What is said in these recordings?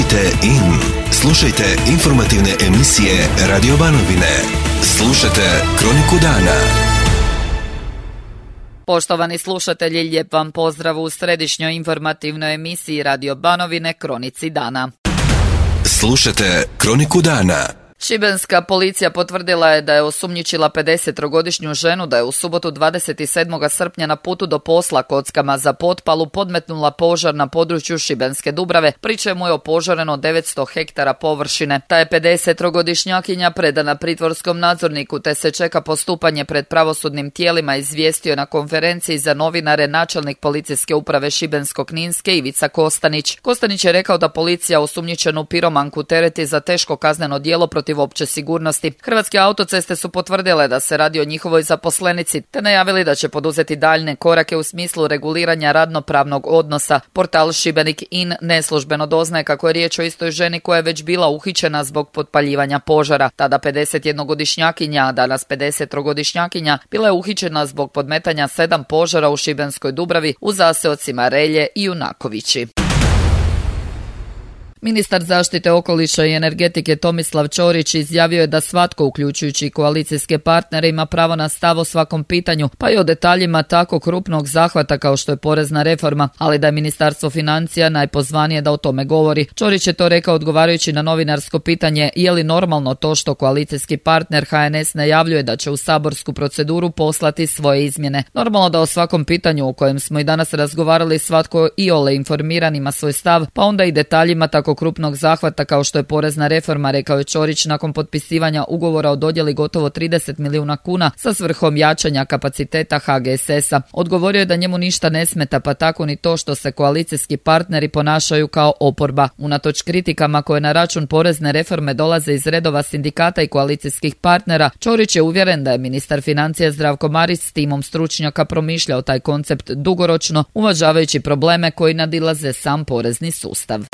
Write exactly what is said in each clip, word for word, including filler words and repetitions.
Tunite in. Slušajte informativne emisije Radio Banovine. Slušajte Kroniku dana. Poštovani slušatelji, lijep vam pozdrav u središnjoj informativnoj emisiji Radio Banovine Kronici dana. Slušajte Kroniku dana. Šibenska policija potvrdila je da je osumnjičila pedesettrogodišnju ženu da je u subotu dvadeset sedmog srpnja na putu do posla kockama za potpalu podmetnula požar na području Šibenske Dubrave, pri čemu je opožareno devetsto hektara površine. Ta je pedesettrogodišnjakinja predana pritvorskom nadzorniku te se čeka postupanje pred pravosudnim tijelima, izvijestio na konferenciji za novinare načelnik policijske uprave Šibensko-kninske Ivica Kostanić. Kostanić je rekao da policija osumnjičenu piromanku tereti za teško kazneno djelo protiv opće sigurnosti. Hrvatske autoceste su potvrdile da se radi o njihovoj zaposlenici, te najavili da će poduzeti daljne korake u smislu reguliranja radnopravnog odnosa. Portal Šibenik in neslužbeno doznaje kako je riječ o istoj ženi koja je već bila uhićena zbog potpaljivanja požara. Tada pedesetjednogodišnjakinja, a danas pedesettrogodišnjakinja, bila je uhićena zbog podmetanja sedam požara u Šibenskoj Dubravi u zaseocima Relje i Junakovići. Ministar zaštite okoliša i energetike Tomislav Ćorić izjavio je da svatko, uključujući koalicijske partnere, ima pravo na stav o svakom pitanju, pa i o detaljima tako krupnog zahvata kao što je porezna reforma, ali da je Ministarstvo financija najpozvanije da o tome govori. Ćorić je to rekao odgovarajući na novinarsko pitanje je li normalno to što koalicijski partner H N S najavljuje da će u saborsku proceduru poslati svoje izmjene. Normalno da o svakom pitanju o kojem smo i danas razgovarali svatko iole informiran ima svoj stav, pa onda i detaljima tako krupnog zahvata kao što je porezna reforma, rekao je Ćorić nakon potpisivanja ugovora o dodjeli gotovo trideset milijuna kuna sa svrhom jačanja kapaciteta H G S S-a. Odgovorio je da njemu ništa ne smeta, pa tako ni to što se koalicijski partneri ponašaju kao oporba. Unatoč kritikama koje na račun porezne reforme dolaze iz redova sindikata i koalicijskih partnera, Ćorić je uvjeren da je ministar financija Zdravko Marić s timom stručnjaka promišljao taj koncept dugoročno, uvažavajući probleme koji nadilaze sam porezni sustav.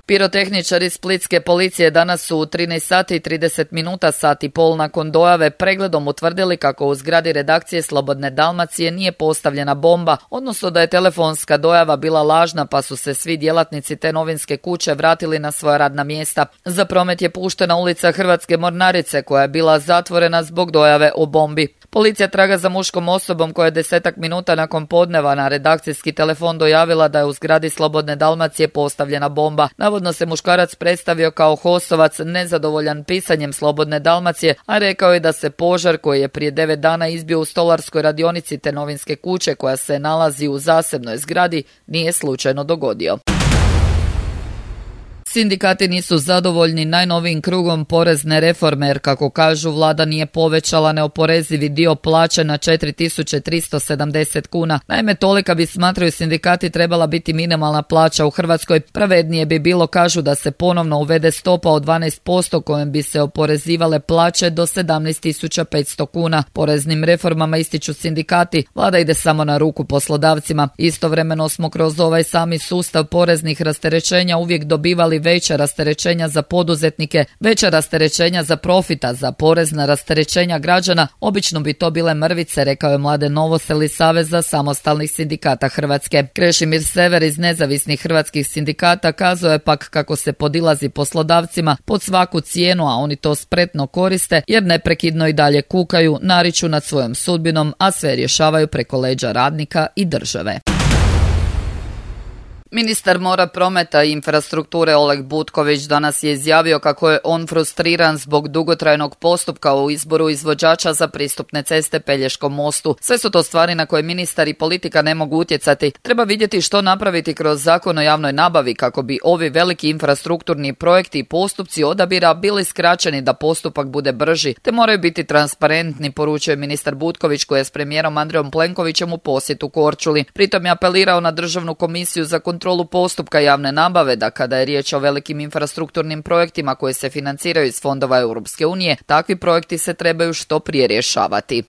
Pirotehničari splitske policije danas su u trinaest sati i trideset minuta, sat i pol nakon dojave, pregledom utvrdili kako u zgradi redakcije Slobodne Dalmacije nije postavljena bomba, odnosno da je telefonska dojava bila lažna, pa su se svi djelatnici te novinske kuće vratili na svoja radna mjesta. Za promet je puštena ulica Hrvatske Mornarice koja je bila zatvorena zbog dojave o bombi. Policija traga za muškom osobom koja je desetak minuta nakon podneva na redakcijski telefon dojavila da je u zgradi Slobodne Dalmacije postavljena bomba. Navodno se muškarac predstavio kao HOS-ovac nezadovoljan pisanjem Slobodne Dalmacije, a rekao je da se požar koji je prije devet dana izbio u stolarskoj radionici te novinske kuće koja se nalazi u zasebnoj zgradi nije slučajno dogodio. Sindikati nisu zadovoljni najnovijim krugom porezne reforme jer, kako kažu, vlada nije povećala neoporezivi dio plaće na četiri tisuće tristo sedamdeset kuna. Naime, tolika bi, smatraju sindikati, trebala biti minimalna plaća u Hrvatskoj. Pravednije bi bilo, kažu, da se ponovno uvede stopa od dvanaest posto kojom bi se oporezivale plaće do sedamnaest tisuća petsto kuna. Poreznim reformama, ističu sindikati, vlada ide samo na ruku poslodavcima. Istovremeno smo kroz ovaj sami sustav poreznih rasterećenja uvijek dobivali veća rasterećenja za poduzetnike, veća rasterećenja za profita, za porezna rasterećenja građana. Obično bi to bile mrvice, rekao je Mladen Novosel iz Saveza samostalnih sindikata Hrvatske. Krešimir Sever iz nezavisnih hrvatskih sindikata kazao je pak kako se podilazi poslodavcima pod svaku cijenu, a oni to spretno koriste jer neprekidno i dalje kukaju, nariču nad svojom sudbinom, a sve rješavaju preko leđa radnika i države. Ministar mora, prometa i infrastrukture Oleg Butković danas je izjavio kako je on frustriran zbog dugotrajnog postupka u izboru izvođača za pristupne ceste Pelješkom mostu. Sve su to stvari na koje ministar i politika ne mogu utjecati. Treba vidjeti što napraviti kroz Zakon o javnoj nabavi kako bi ovi veliki infrastrukturni projekti i postupci odabira bili skraćeni da postupak bude brži, te moraju biti transparentni, poručuje ministar Butković koji je s premijerom Andrejom Plenkovićem u posjetu Korčuli. Pritom je apelirao na Državnu komisiju za kontrolu postupka javne nabave da kada je riječ o velikim infrastrukturnim projektima koji se financiraju iz fondova Europske unije, takvi projekti se trebaju što prije rješavati.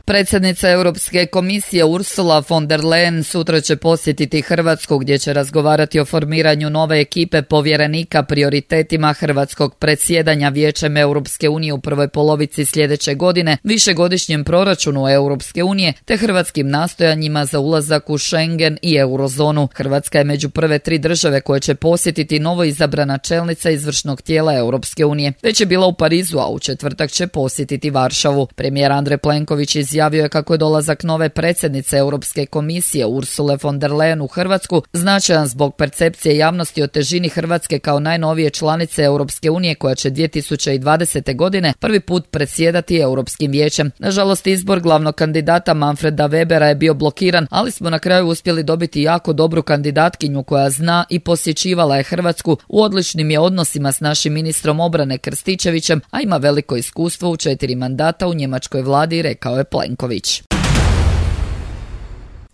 Predsjednica Europske komisije Ursula von der Leyen sutra će posjetiti Hrvatsku gdje će razgovarati o formiranju nove ekipe povjerenika prioritetima hrvatskog predsjedanja Vijećem Europske unije u prvoj polovici sljedeće godine, višegodišnjem proračunu Europske unije te hrvatskim nastojanjima za ulazak u Schengen i eurozonu. Hrvatska je među prve tri države koje će posjetiti novo izabrana čelnica izvršnog tijela Europske unije. Već je bila u Parizu, a u četvrtak će posjetiti Varšavu. Premijer Andrej Plenković izjavio je kako je dolazak nove predsjednice Europske komisije Ursule von der Leyen u Hrvatsku značajan zbog percepcije javnosti o težini Hrvatske kao najnovije članice Europske unije koja će dvije tisuće dvadesete. godine prvi put predsjedati Europskim vijećem. Nažalost, izbor glavnog kandidata Manfreda Webera je bio blokiran, ali smo na kraju uspjeli dobiti jako dobru kandidatkinju koja zna i posjećivala je Hrvatsku, u odličnim je odnosima s našim ministrom obrane Krstičevićem, a ima veliko iskustvo u četiri mandata u njemačkoj vladi, rekao je Plenković.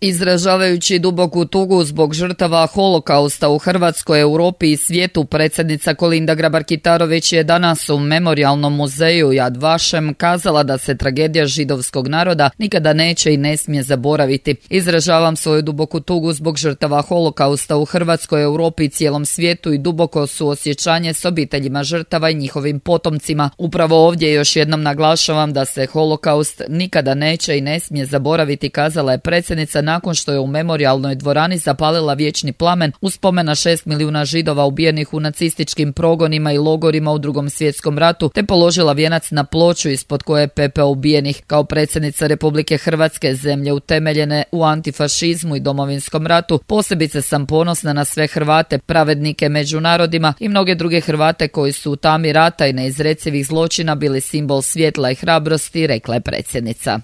Izražavajući duboku tugu zbog žrtava holokausta u Hrvatskoj, Europi i svijetu, predsjednica Kolinda Grabar-Kitarović je danas u Memorijalnom muzeju Yad Vashem kazala da se tragedija židovskog naroda nikada neće i ne smije zaboraviti. Izražavam svoju duboku tugu zbog žrtava holokausta u Hrvatskoj, Europi i cijelom svijetu i duboko suosjećanje s obiteljima žrtava i njihovim potomcima. Upravo ovdje još jednom naglašavam da se holokaust nikada neće i ne smije zaboraviti, kazala je predsjednica nakon što je u memorijalnoj dvorani zapalila vječni plamen u spomen na šest milijuna Židova ubijenih u nacističkim progonima i logorima u Drugom svjetskom ratu, te položila vijenac na ploču ispod koje je pepeo ubijenih. Kao predsjednica Republike Hrvatske, zemlje utemeljene u antifašizmu i Domovinskom ratu, posebice sam ponosna na sve Hrvate, pravednike među narodima i mnoge druge Hrvate koji su u tami rata i neizrecivih zločina bili simbol svjetla i hrabrosti, rekla je predsjednica.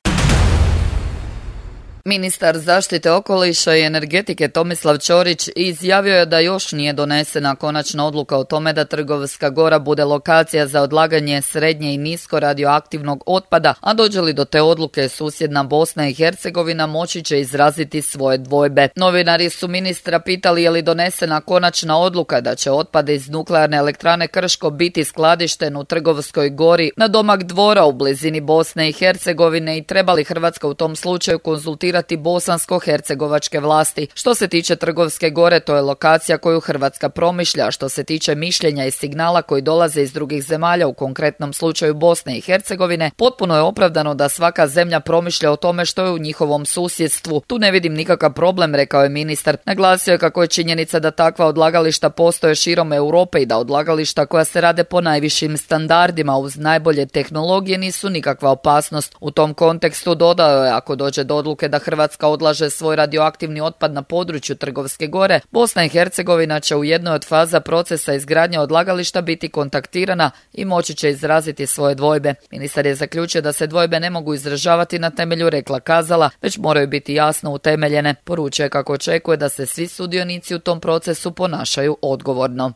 Ministar zaštite okoliša i energetike Tomislav Ćorić izjavio je da još nije donesena konačna odluka o tome da Trgovska Gora bude lokacija za odlaganje srednje i nisko radioaktivnog otpada, a dođe li do te odluke susjedna Bosna i Hercegovina moći će izraziti svoje dvojbe. Novinari su ministra pitali je li donesena konačna odluka da će otpad iz nuklearne elektrane Krško biti skladišten u Trgovskoj Gori na domak Dvora u blizini Bosne i Hercegovine i treba li Hrvatska u tom slučaju konzultirati bosansko-hercegovačke vlasti. Što se tiče Trgovske Gore, to je lokacija koju Hrvatska promišlja. Što se tiče mišljenja i signala koji dolaze iz drugih zemalja, u konkretnom slučaju Bosne i Hercegovine, potpuno je opravdano da svaka zemlja promišlja o tome što je u njihovom susjedstvu. Tu ne vidim nikakav problem, rekao je ministar. Naglasio je kako je činjenica da takva odlagališta postoje širom Europe i da odlagališta koja se rade po najvišim standardima uz najbolje tehnologije nisu nikakva opasnost. U tom kontekstu dodao je, ako dođe do odluke da Hrvatska odlaže svoj radioaktivni otpad na području Trgovske Gore, Bosna i Hercegovina će u jednoj od faza procesa izgradnje odlagališta biti kontaktirana i moći će izraziti svoje dvojbe. Ministar je zaključio da se dvojbe ne mogu izražavati na temelju rekla kazala, već moraju biti jasno utemeljene. Poručuje kako očekuje da se svi sudionici u tom procesu ponašaju odgovorno.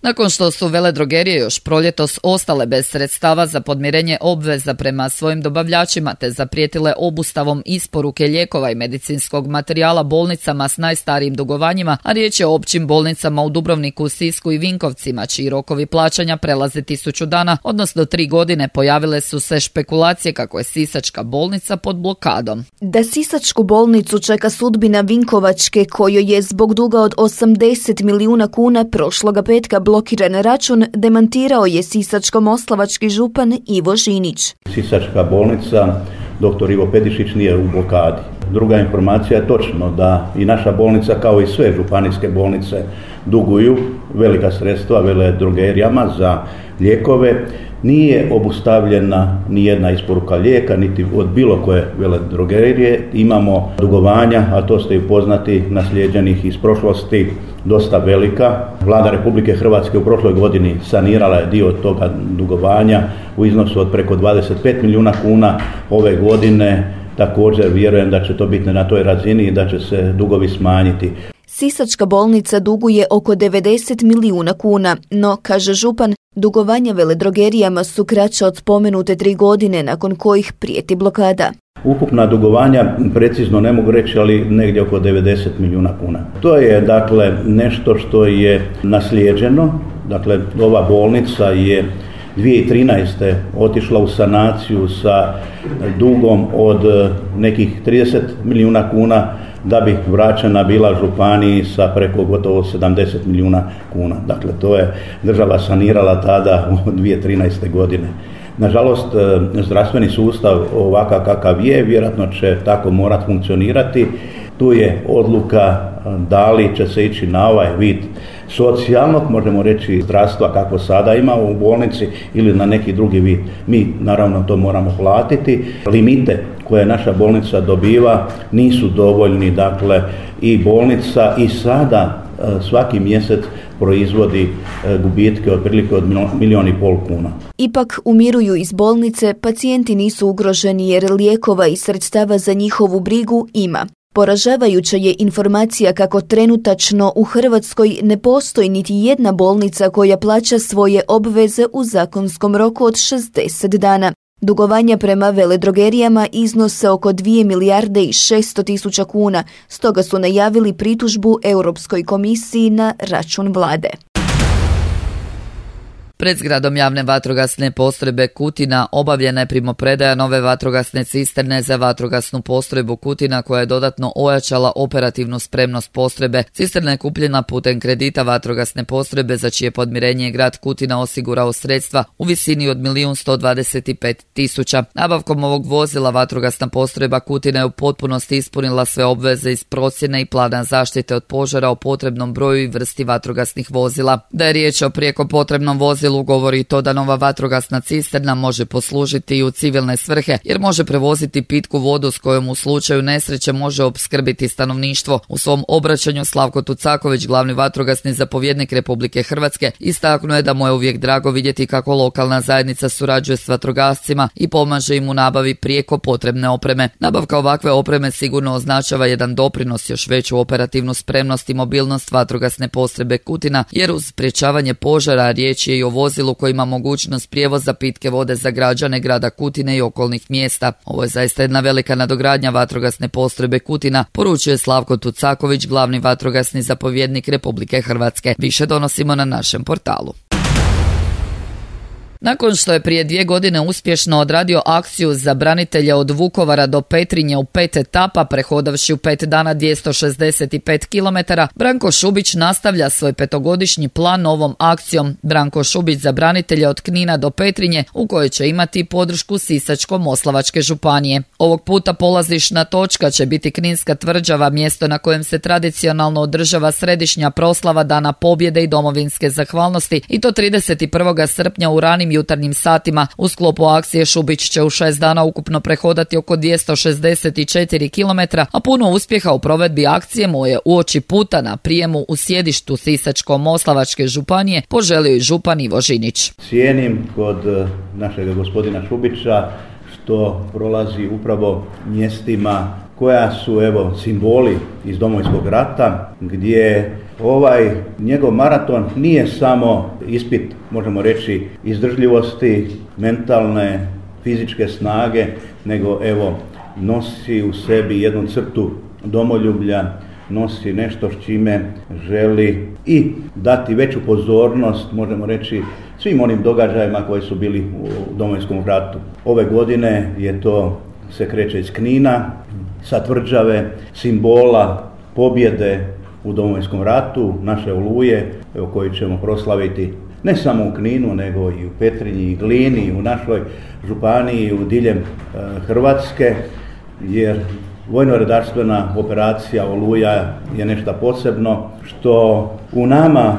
Nakon što su veledrogerije još proljetos ostale bez sredstava za podmirenje obveza prema svojim dobavljačima te zaprijetile obustavom isporuke lijekova i medicinskog materijala bolnicama s najstarijim dugovanjima, a riječ je o općim bolnicama u Dubrovniku, Sisku i Vinkovcima, čiji rokovi plaćanja prelaze tisuću dana, odnosno tri godine, pojavile su se špekulacije kako je Sisačka bolnica pod blokadom. Da Sisačku bolnicu čeka sudbina Vinkovačke, kojoj je zbog duga od osamdeset milijuna kuna prošloga petka blokiran račun, demantirao je sisačko-moslavački župan Ivo Žinić. Sisačka bolnica, doktor Ivo Pedišić, nije u blokadi. Druga informacija je točno da i naša bolnica, kao i sve županijske bolnice, duguju velika sredstva veledrogerijama za lijekove. Nije obustavljena ni jedna isporuka lijeka, niti od bilo koje veledrogerije. Imamo dugovanja, a to ste i poznati, naslijeđenih iz prošlosti, dosta velika. Vlada Republike Hrvatske u prošloj godini sanirala je dio toga dugovanja u iznosu od preko dvadeset pet milijuna kuna. Ove godine također vjerujem da će to biti na toj razini i da će se dugovi smanjiti. Sisačka bolnica duguje oko devedeset milijuna kuna, no, kaže župan, dugovanja veledrogerijama su kraća od spomenute tri godine nakon kojih prijeti blokada. Ukupna dugovanja, precizno ne mogu reći, ali negdje oko devedeset milijuna kuna. To je dakle nešto što je naslijeđeno. Dakle, ova bolnica je dvije tisuće trinaeste. otišla u sanaciju sa dugom od nekih trideset milijuna kuna, da bi vraćena bila županiji sa preko gotovo sedamdeset milijuna kuna. Dakle, to je država sanirala tada u dvije tisuće trinaeste. godine. Nažalost, zdravstveni sustav ovakav kakav je, vjerojatno će tako morati funkcionirati. Tu je odluka da li će se ići na ovaj vid socijalnog, možemo reći, zdravstva kako sada ima u bolnici ili na neki drugi vid. Mi naravno to moramo platiti. Limite koje naša bolnica dobiva nisu dovoljni, dakle i bolnica i sada svaki mjesec proizvodi gubitke otprilike od milijun i pol kuna. Ipak umiruju iz bolnice, pacijenti nisu ugroženi jer lijekova i sredstava za njihovu brigu ima. Poražavajuća je informacija kako trenutačno u Hrvatskoj ne postoji niti jedna bolnica koja plaća svoje obveze u zakonskom roku od šezdeset dana. Dugovanja prema veledrogerijama iznose oko dvije milijarde i šesto tisuća kuna, stoga su najavili pritužbu Europskoj komisiji na račun vlade. Pred zgradom javne vatrogasne postrojbe Kutina obavljena je primopredaja nove vatrogasne cisterne za vatrogasnu postrojbu Kutina koja je dodatno ojačala operativnu spremnost postrojbe. Cisterna je kupljena putem kredita vatrogasne postrojbe za čije podmirenje je grad Kutina osigurao sredstva u visini od milijun sto dvadeset pet tisuća. Nabavkom ovog vozila vatrogasna postrojba Kutina je u potpunosti ispunila sve obveze iz procjene i plana zaštite od požara o potrebnom broju i vrsti vatrogasnih vozila. Da je riječ o prijeko potrebnom vozilu govori to da nova vatrogasna cisterna može poslužiti i u civilne svrhe, jer može prevoziti pitku vodu s kojom u slučaju nesreće može opskrbiti stanovništvo. U svom obraćanju Slavko Tucaković, glavni vatrogasni zapovjednik Republike Hrvatske, istaknuo je da mu je uvijek drago vidjeti kako lokalna zajednica surađuje s vatrogascima i pomaže im u nabavi prijeko potrebne opreme. Nabavka ovakve opreme sigurno označava jedan doprinos još veću operativnu spremnost i mobilnost vatrogasne postrojbe Kutina, jer uz sprječavanje požara riječ je i o vozilu koji ima mogućnost prijevoza pitke vode za građane grada Kutine i okolnih mjesta. Ovo je zaista jedna velika nadogradnja vatrogasne postrojbe Kutina, poručuje Slavko Tucaković, glavni vatrogasni zapovjednik Republike Hrvatske. Više donosimo na našem portalu. Nakon što je prije dvije godine uspješno odradio akciju za branitelje od Vukovara do Petrinje u pet etapa, prehodavši u pet dana dvjesto šezdeset pet kilometara, Branko Šubić nastavlja svoj petogodišnji plan novom akcijom Branko Šubić za branitelje od Knina do Petrinje, u kojoj će imati podršku Sisačko-moslavačke županije. Ovog puta polazišna točka će biti Kninska tvrđava, mjesto na kojem se tradicionalno održava središnja proslava Dana pobjede i domovinske zahvalnosti, i to trideset prvog srpnja u ranim jutarnjim satima. U sklopu akcije Šubić će u šest dana ukupno prehodati oko dvjesto šezdeset četiri kilometra, a puno uspjeha u provedbi akcije mu je uoči puta na prijemu u sjedištu Sisačko-moslavačke županije poželio i župan Ivo Žinić. Cijenim kod našeg gospodina Šubića što prolazi upravo mjestima koja su evo simboli iz Domovinskog rata, gdje ovaj njegov maraton nije samo ispit, možemo reći, izdržljivosti, mentalne, fizičke snage, nego evo nosi u sebi jednu crtu domoljublja, nosi nešto s čime želi i dati veću pozornost, možemo reći, svim onim događajima koji su bili u Domovinskom ratu. Ove godine je to se kreće iz Knina, sa tvrđave, simbola pobjede u Domovinskom ratu, naše Oluje, evo, koji ćemo proslaviti ne samo u Kninu, nego i u Petrinji i Glini, i u našoj županiji, u diljem e, Hrvatske, jer vojno-redarstvena operacija Oluja je nešto posebno što u nama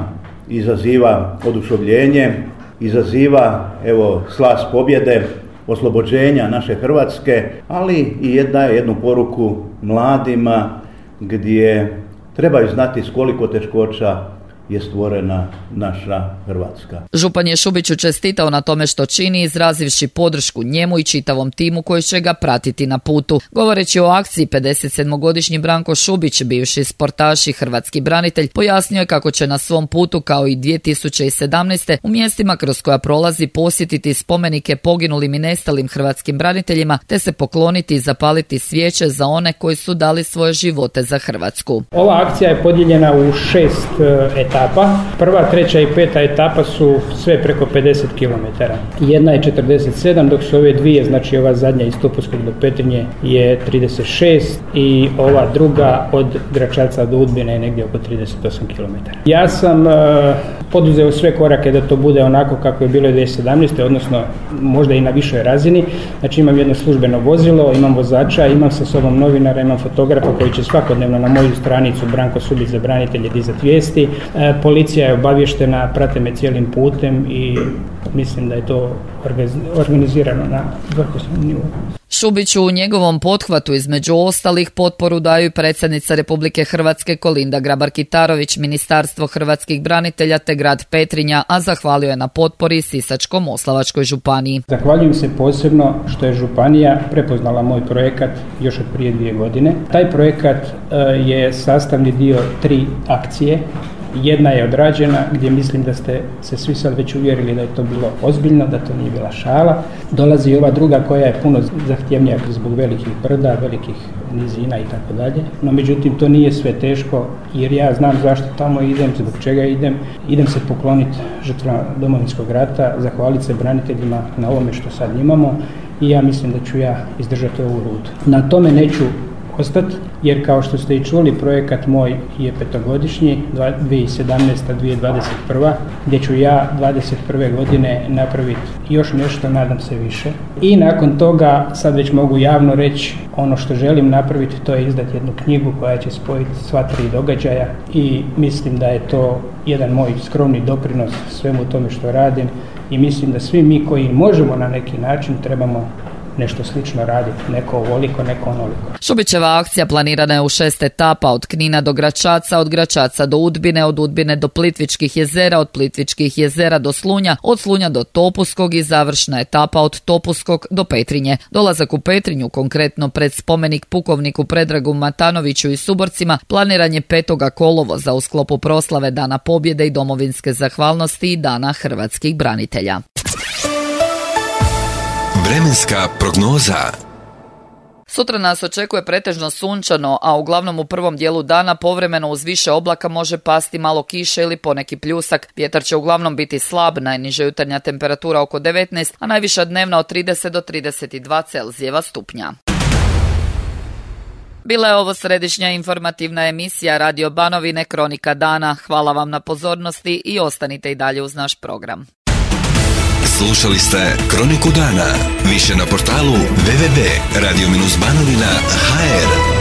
izaziva oduševljenje, izaziva evo slas pobjede, oslobođenja naše Hrvatske, ali i daje jednu poruku mladima gdje trebaju znati s koliko teškoća je stvorena naša Hrvatska. Župan je Šubiću čestitao na tome što čini, izrazivši podršku njemu i čitavom timu koji će ga pratiti na putu. Govoreći o akciji, pedesetsedmogodišnji Branko Šubić, bivši sportaš i hrvatski branitelj, pojasnio je kako će na svom putu, kao i dvije tisuće sedamnaeste. u mjestima kroz koja prolazi posjetiti spomenike poginulim i nestalim hrvatskim braniteljima, te se pokloniti i zapaliti svijeće za one koji su dali svoje živote za Hrvatsku. Ova akcija je podijeljena u šest etapa. etapa. Prva, treća i peta etapa su sve preko pedeset kilometara. Jedna je četrdeset sedam, dok su ove dvije, znači ova zadnja iz Topuskog do Petrinje je trideset šest i ova druga od Gračaca do Udbine je negdje oko trideset osam kilometara. Ja sam uh, poduzeo sve korake da to bude onako kako je bilo dvije tisuće sedamnaeste. odnosno možda i na višoj razini. Znači imam jedno službeno vozilo, imam vozača, imam sa sobom novinara, imam fotografa koji će svakodnevno na moju stranicu Branko Subić za branitelje dizati vijesti. E, policija je obavještena, prate me cijelim putem i mislim da je to organizirano na vrhunskom nivou. Šubiću u njegovom pothvatu između ostalih potporu daju i predsjednica Republike Hrvatske Kolinda Grabar-Kitarović, Ministarstvo hrvatskih branitelja te grad Petrinja, a zahvalio je na potpori Sisačko-moslavačkoj županiji. Zahvaljujem se posebno što je županija prepoznala moj projekat još od prije dvije godine. Taj projekat uh, je sastavni dio tri akcije. Jedna je odrađena gdje mislim da ste se svi sad već uvjerili da je to bilo ozbiljno, da to nije bila šala. Dolazi i ova druga koja je puno zahtjevnija zbog velikih brda, velikih nizina i tako dalje. No međutim to nije sve teško jer ja znam zašto tamo idem, zbog čega idem. Idem se pokloniti žrtvama Domovinskog rata, zahvaliti se braniteljima na ovome što sad imamo i ja mislim da ću ja izdržati ovu rutu. Na tome neću ostati, jer kao što ste i čuli, projekat moj je petogodišnji, dvije tisuće sedamnaesta do dvije tisuće dvadeset prva, gdje ću ja dvadeset prve godine napraviti još nešto, nadam se više. I nakon toga, sad već mogu javno reći, ono što želim napraviti, to je izdati jednu knjigu koja će spojiti sva tri događaja i mislim da je to jedan moj skromni doprinos svemu tome što radim i mislim da svi mi koji možemo na neki način trebamo nešto slično raditi, neko ovoliko, neko onoliko. Šubićeva akcija planirana je u šest etapa, od Knina do Gračaca, od Gračaca do Udbine, od Udbine do Plitvičkih jezera, od Plitvičkih jezera do Slunja, od Slunja do Topuskog i završna etapa od Topuskog do Petrinje. Dolazak u Petrinju, konkretno pred spomenik pukovniku Predragu Matanoviću i suborcima, planiran je petog kolovoza u sklopu proslave Dana pobjede i domovinske zahvalnosti i Dana hrvatskih branitelja. Vremenska prognoza. Sutra nas očekuje pretežno sunčano, a uglavnom u prvom dijelu dana povremeno uz više oblaka može pasti malo kiše ili poneki pljusak. Vjetar će uglavnom biti slab, najniža jutarnja temperatura oko devetnaest, a najviša dnevna od trideset do trideset dva Celzijeva stupnja. Bila je ovo središnja informativna emisija Radio Banovine Kronika dana. Hvala vam na pozornosti i ostanite i dalje uz naš program. Slušali ste Kroniku dana. Više na portalu w w w tačka radio banovina tačka h r.